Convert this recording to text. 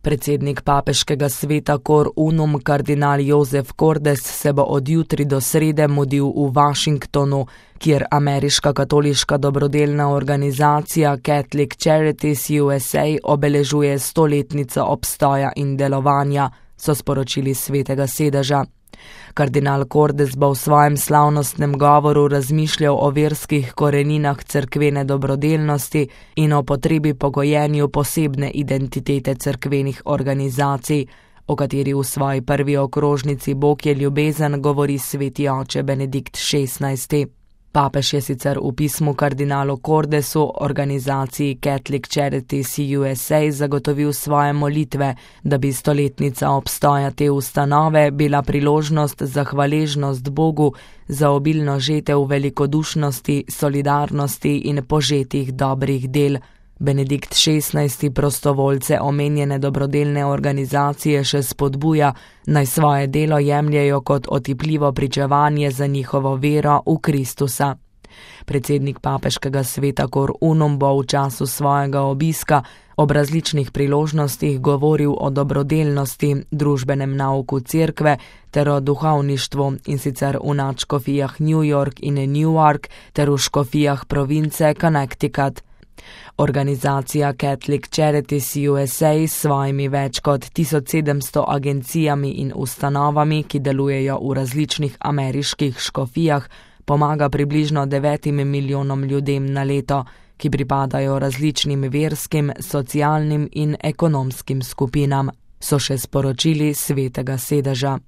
Predsednik papeškega sveta Cor Unum kardinal Joseph Cordes se bo od jutri do srede mudil v Washingtonu, kjer ameriška katoliška dobrodelna organizacija Catholic Charities USA obeležuje 100-letnico obstoja in delovanja, so sporočili svetega sedeža. Kardinal Cordes bo v svojem slavnostnem govoru razmišljal o verskih koreninah cerkvene dobrodelnosti in o potrebi po gojenju posebne identitete cerkvenih organizacij, o kateri v svoji prvi okrožnici Bog je ljubezen govori sveti oče Benedikt XVI. Papež je sicer v pismu kardinalu Cordesu organizaciji Catholic Charities USA zagotovil svoje molitve, da bi 100-letnica obstoja te ustanove bila priložnost za hvaležnost Bogu za obilno žetev velikodušnosti, solidarnosti in požetih dobrih del. Benedikt XVI prostovoljce omenjene dobrodelne organizacije še spodbuja, naj svoje delo jemljejo kot otipljivo pričevanje za njihovo vero v Kristusa. Predsednik papeškega sveta Cor Unum bo v času svojega obiska ob različnih priložnostih govoril o dobrodelnosti, družbenem nauku cerkve ter o duhovništvu, in sicer v nadškofijah New York in Newark ter v škofijah province Connecticut. Organizacija Catholic Charities USA s svojimi več kot 1700 agencijami in ustanovami, ki delujejo v različnih ameriških škofijah, pomaga približno 9 milijonom ljudem na leto, ki pripadajo različnim verskim, socialnim in ekonomskim skupinam, so še sporočili svetega sedeža.